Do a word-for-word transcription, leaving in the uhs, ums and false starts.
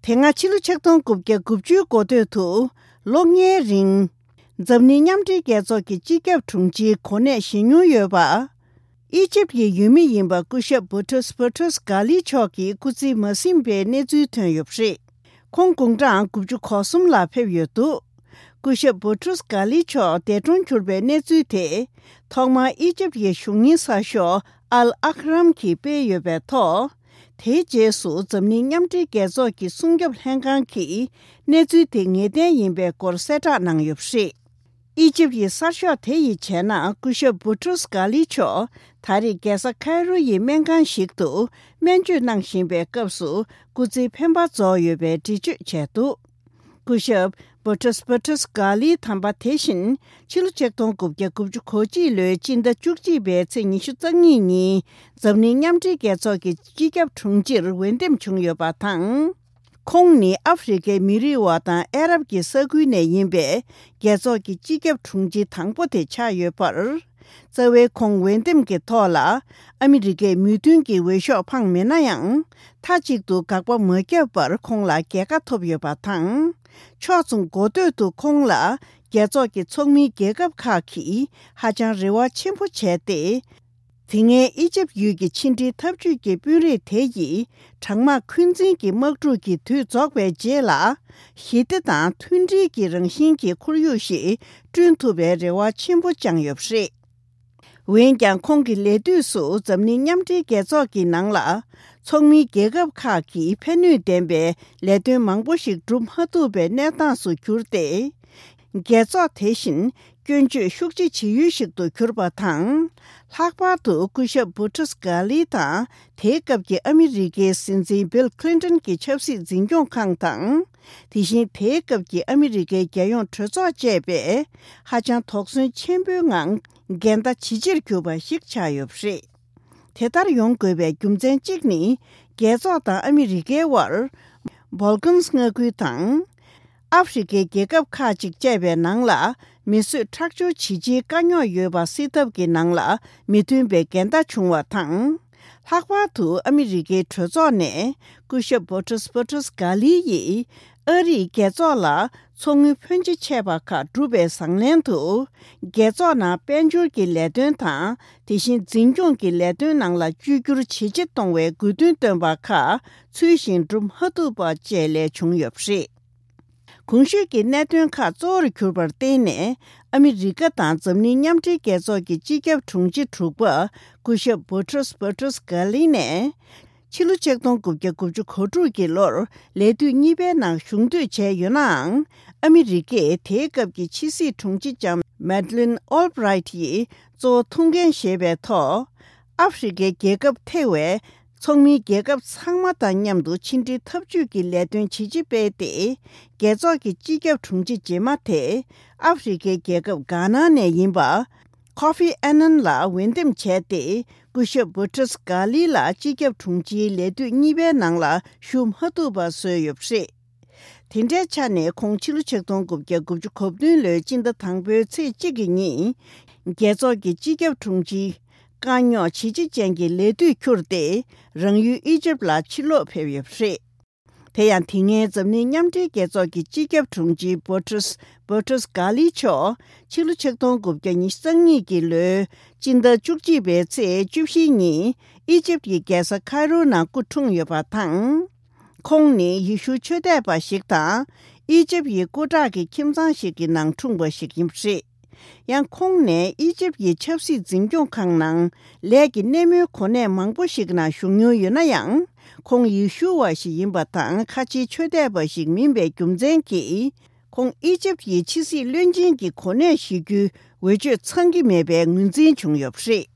དེ་སྔ་ཕྱི་ལོ་ཆིག་སྟོང་དགུ་བརྒྱ་དགུ་བཅུའི་འགོ་སྟོད་དུ་ལོ་ལྔའི་རིང་འཛམ་གླིང་མཉམ་འབྲེལ་རྒྱལ་ཚོགས་ཀྱི་སྤྱི་ཁྱབ་དྲུང་ཆེའི་གོ་གནས་བཞེས་མྱོང་ཡོད་པ། ཨི་ཇིབ་ཀྱི་ཡུལ་མི་ཡིན་པ་སྐུ་ཞབས་བུ་ཏྲུས་བུ་ཏྲུས་གྷ་ལི་མཆོག་གིས་སྐུ་ཚེ་མ་ཟིན་པའི་གནས་ཚུལ་ཐོན་ཡོད་པ་རེད། ཁོང་དགུང་གྲངས་དགུ་བཅུ་གོ་གསུམ་ལ་ཕེབས་ཡོད་འདུག་སྐུ་ཞབས་བུ་ཏྲུས་གྷ་ལི་མཆོག་འདས་གྲོངས་གྱུར་པའི་གནས་ཚུལ་དེ། ཐོག་མར་ཨི་ཇིབ་ཀྱི་གཞུང་གཉེར་གསར་ཤོག་ཨལ་ཨྷ་རམ་གྱིས་སྤེལ་ཡོད་པའི་ཐོག་དེའི་རྗེས་སུ་འཛམ་གླིང་མཉམ་འབྲེལ་རྒྱལ་ཚོགས་ཀྱི་སྲུང་སྐྱོབ་ལྷན་ཁང་གིས་གནས་ཚུལ་དེ་ངེས་གཏན་ཡིན་པའི་སྐོར་གསལ་བསྒྲགས་གནང་ཡོད་པ་རེད། ཨི་ཇིབ་ཀྱི་གསར་ཤོག་དེ་ཡིས་བྱས་ན། སྐུ་ཞབས་བུ་ཏྲུས་གྷ་ལི་མཆོག་ད་རེས་རྒྱལ་ས་ཁའི་རོ་ཡི་སྨན་ཁང་ཞིག་ཏུ་སྨན་བཅོས་གནང་བཞིན་པའི་སྐབས་སུ་སྐུ་ཚེའི་འཕེན་པ་རྫོགས་ཡོད་པའི་འགྲེལ་བརྗོད་བྱས་འདུག་སྐུ་ཞབས་བུ་ཏྲུས་བུ་ཏྲུས་གྷ་ལིའི་དམ་པ་དེ་བཞིན་ཕྱི་ལོ་ཆིག་སྟོང་དགུ་བརྒྱ་དགུ་བཅུ་གོ་གཅིག་ལོའི་སྤྱི་ཟླ་བཅུ་གཅིག་པའི་ཚེས་ཉི་ཤུ་རྩ་གཉིས་ཉིན་འཛམ་གླིང་མཉམ་འབྲེལ་རྒྱལ་ཚོགས་ཀྱི་སྤྱི་ཁྱབ་དྲུང་ཆེར་འོས་འདེམས་བྱུང་ཡོད་པ་དང་། ཁོང་ནི་ཨ་ཧྥེ་རི་ཁའི་མི་རིགས་བ་དང་ཨ་རབ་ཀྱི་ས་ཁུལ་ནས་ཡིན་པའི་རྒྱལ་ཚོགས་ཀྱི་སྤྱི་ཁྱབ་དྲུང་ཆེ་དང་པོ་དེ་ཆགས་ཡོད་པར། རྩ་བའི་ཁོང་འོས་འདེམས་ཀྱི་ཐོག་ལ་ཨ་མི་རི་ཀའི་མོས་མཐུན་གྱི་འོས་ཤོག་འཕངས་མེད་ན་ཡང་། མཐའ་གཅིག་ཏུ་དགག་པ་མ་བརྒྱབ་པར་ཁོང་ལ་རྒྱལ་ཁ་ཐོབ་ཡོད་པ་དང་། ཕྱོགས་མཚུངས་འགོ་སྟོད་དུ་ཁོང་ལ་རྒྱལ་ཚོགས་ཀྱི་ཚོགས་མིའི་རྒྱལ་ཁབ་ཁག་གིས་ཧ་ཅང་རེ་བ་ཆེན་པོ་བྱས་ཏེ། དེ་སྔའི་ཨི་ཇིབ་ཡུལ་གྱི་ཕྱི་འབྲེལ་འཐབ་ཇུས་ཀྱི་དཔོན་རིགས་དེ་ཡིས་གྲང་དམག་འཁོན་འཛིན་གྱི་དམག་འཁྲུག་གི་དུས་རྫོགས་པའི་རྗེས་ལ། ཞི་བདེ་དང་མཐུན་སྒྲིལ་གྱི་རང་བཞིན་གྱི་ཁོར་ཡུག་ཞིག་བསྐྲུན་ཐུབ་པའི་རེ་བ་ཆེན་པོ་བཅངས་ཡོད་པ་རེད། འོན་ཀྱང་ཁོང་གི་ལས་དུས་སུ་འཛམ་གླིང་མཉམ་འབྲེལ་རྒྱལ་ཚོགས་ཀྱི་ནང་ལ་ཚོགས་མིའི་རྒྱལ་ཁབ་ཁག་གིས་ཕན་ནུས་ལྡན་པའི་ལས་དོན་མང་པོ་ཞིག་སྒྲུབ་མ་ཐུབ་པའི་གནས་སྟངས་སུ་གྱུར་ཏེ། རྒྱལ་ཚོགས་དེ་བཞིན་སྐྱོན་བརྗོད་ཤུགས་ཆེ་བྱེད་ཡུལ་ཞིག་ཏུ་གྱུར་པ་དང་། ལྷག་པར་དུ་སྐུ་ཞབས་བུ་ཏྲུས་གྷ་ལི་དང་དེའི་སྐབས་ཀྱི་ཨ་མི་རི་ཀའི་སྲིད་འཛིན་བིལ་ཁི་ལིན་ཏོན་གྱི་ཆབ་སྲིད་འཛིན་སྐྱོང་ཁང་དང་། དེ་བཞིན་དེའི་སྐབས་ཀྱི་ཨ་མི་རི་ཀའི་རྒྱལ་ཡོངས་གྲོས་ཚོགས་བཅས་པས་ཧ་ཅང་དོགས་ཟོན་ཆེན་པོའི་ངང་འགལ་ཟླ་ཇེ་ཆེར་གྱུར་པ་ཞིག་ཆགས་ཡོད་པ་རེད། དེ་ལྟར་ཡོང་དགོས་པའི་རྒྱུ་མཚན་གཅིག་ནི། རྒྱལ་ཚོགས་དང་ཨ་མི་རི་ཀའི་དབར་བོལ་ཀན་མངའ་ཁུལ་དང་། ཨ་ཧྥེ་རི་ཁའི་རྒྱལ་ཁབ་ཁག་ཅིག་བཅས་པའི་ནང་ལ་མི་གསོད་ཁྲག་སྦྱོར་ཇི་ཆེའི་དཀའ་རྙོག་ཡོད་པ་སེལ་ཐབས་ཀྱི་ནང་ལ་མི་མཐུན་པའི་འགལ་ཟླ་བྱུང་བ་དང་། ལྷག་པར་དུ་ཨ་མི་རི་ཀའི་གྲོས་ཚོགས་ནས་སྐུ་ཞབས་བོ་ཏྲུས་བོ་ཏྲུས་གྷ་ལི་ཡིས་ཨ་རིས་རྒྱལ་ཚོགས་ལ་ཚོགས་དངུལ་ཕོན་ཆེ་ཆད་པ་ཁག་བསྒྲུབས་པའི་བཟང་ལན་དུ། རྒྱལ་ཚོགས་ནང་དཔལ་འབྱོར་གྱི་ལས་དོན་དང་། དེ་བཞིན་འཛིན་སྐྱོང་གི་ལས་དོན་ནང་ལ་བཅོས་བསྒྱུར་ཇེ་ཆེ་གཏོང་བའི་དགོས་འདུན་བཏོན་པ་ཁག་ཚུལ་བཞིན་སྒྲུབ་མ་ཐུབ་པ་བཅས་ལས་བྱུང་ཡོད་པ་རེད། གོང་ཞུས་ཀྱི་གནད་དོན་ཁག་གཙོ་བོར་གྱུར་པར་བརྟེན་ནས། ཨ་མི་རི་ཀ་དང་འཛམ་གླིང་མཉམ་འབྲེལ་རྒྱལ་ཚོགས་ཀྱི་སྤྱི་ཁྱབ་དྲུང་ཆེ་དྲུག་པ་སྐུ་ཞབས་བོ་ཏྲུས་བོ་ཏྲུས་གྷ་ལི་ནས། ཕྱི་ལོ་ཆིག་སྟོང་དགུ་བརྒྱ་དགུ་བཅུ་གོ་དྲུག་གི་ལོར་ལས་དུས་གཉིས་པའི་ནང་ཞུགས་འདོད་བྱས་ཡོད་ནའང་། ཨ་མི་རི་ཀས་དེའི་སྐབས་ཀྱི་ཕྱི་སྲིད་དྲུང་ཆེ་ལྕམ་མེ་ཌི་ལིན་ཨོལ་བྷི་རའིཊ་ཡིས་གཙོ་བོ་ཐུགས་འགན་བཞེས་པའི་ཐོག་ཨ་ཧྥེ་རི་ཁའི་རྒྱལ་ཁབ་ཐེ་བའི་ཚོགས་མིའི་རྒྱལ་ཁབ་ཚང་མ་དང་མཉམ་དུ་ཕྱི་འབྲེལ་འཐབ་ཇུས་ཀྱི་ལས་དོན་ཇི་ཆེ་སྤེལ་ཏེ། རྒྱལ་ཚོགས་ཀྱི་སྤྱི་ཁྱབ་དྲུང་ཆེ་རྗེས་མ་དེ་ཨ་ཧྥེ་རི་ཁའི་རྒྱལ་ཁབ་གྷ་ན་ནས་ཡིན་པ། ཁོ་ཧྥི་ཨ་ནན་ལ་འོས་འདེམས་བྱས་ཏེ། སྐུ་ཞབས་བུ་ཏྲིས་གྷ་ལི་ལ་སྤྱི་ཁྱབ་དྲུང་ཆེའི་ལས་དུས་གཉིས་པའི་ནང་ལ་ཞུགས་མ་ཐུབ་པ་བཟོས་ཡོད་པ་རེད། དེ་འདྲའི་ཆ་ནས་ཁོང་ཕྱི་ལོ་ཆིག་སྟོང་དགུ་བརྒྱ་དགུ་བཅུ་གོ་བདུན་ལོའི་སྤྱི་ཟླ་དང་པོའི་ཚེས་གཅིག་གི་ཉིན། རྒྱལ་ཚོགས་ཀྱི་སྤྱི་ཁྱབ་དྲུང་ཆེའི་དཀའ་རྙོག་ཇེ་ཆེ་ཅན་གྱི་ལས་དུས་འཁྱུར་ཏེ། རང་ཡུལ་ཨི་ཇིབ་ལ་ཕྱིར་ལོག་ཕེབས་ཡོད་པ་རེད། དེ་ཡང་དེ་སྔའི་འཛམ་གླིང་མཉམ་འབྲེལ་རྒྱལ་ཚོགས་ཀྱི་སྤྱི་ཁྱབ་དྲུང་ཆེ་བོ་ཏྲིས་བོ་ཏྲིས་གྷ་ལི་མཆོག་ཕྱི་ལོ་ཆིག་སྟོང་དགུ་བརྒྱ་ཉི་ཤུ་རྩ་གཉིས་ཀྱི་ལོའི་སྤྱི་ཟླ་བཅུ་གཅིག་པའི་ཚེས་བཅུ་བཞི་ཉིན་ཨི་ཇིབ་ཀྱི་རྒྱལ་ས་ཁའི་རོ་ནང་སྐུ་འཁྲུངས་ཡོད་པ་དང་། ཁོང་ནི་ཡེ་ཤུ་ཆོས་དད་པ་ཞིག་དང་ཨི་ཇིབ་ཡི་སྐུ་དྲག་གི་ཁྱིམ་ཚང་ཞིག་གི་ནང་འཁྲུངས་པ་ཞིག་ཡིན་པ་རེད། ཡང་ཁོང་ནས་ཨི་ཇིབ་ཡི་ཆབ་སྲིད་འཛིན་སྐྱོང་ཁང་ནང་ལས་ཀྱི་སྣེ་མོའི་གོ་གནས་མང་པོ་ཞིག་ནང་ཞུགས་མྱོང་ཡོད་ན་ཡང་། ཁོང་ཡེ་ཤུ་བ་ཞིག་ཡིན་པ་དང་ཁ་ཆེའི་ཆོས་དད་པ་ཞིག་མིན་པའི་རྒྱུ་མཚན་གྱིས། ཁོང་ཨི་ཇིབ་ཡི་ཕྱི་སྲིད་བློན་ཆེན་གྱི་གོ་གནས་བཞེས་རྒྱུའི་འོས་ཆོས་ཚང་གི་མེད་པའི་ངོས་འཛིན་བྱུང་ཡོད་པ་རེད།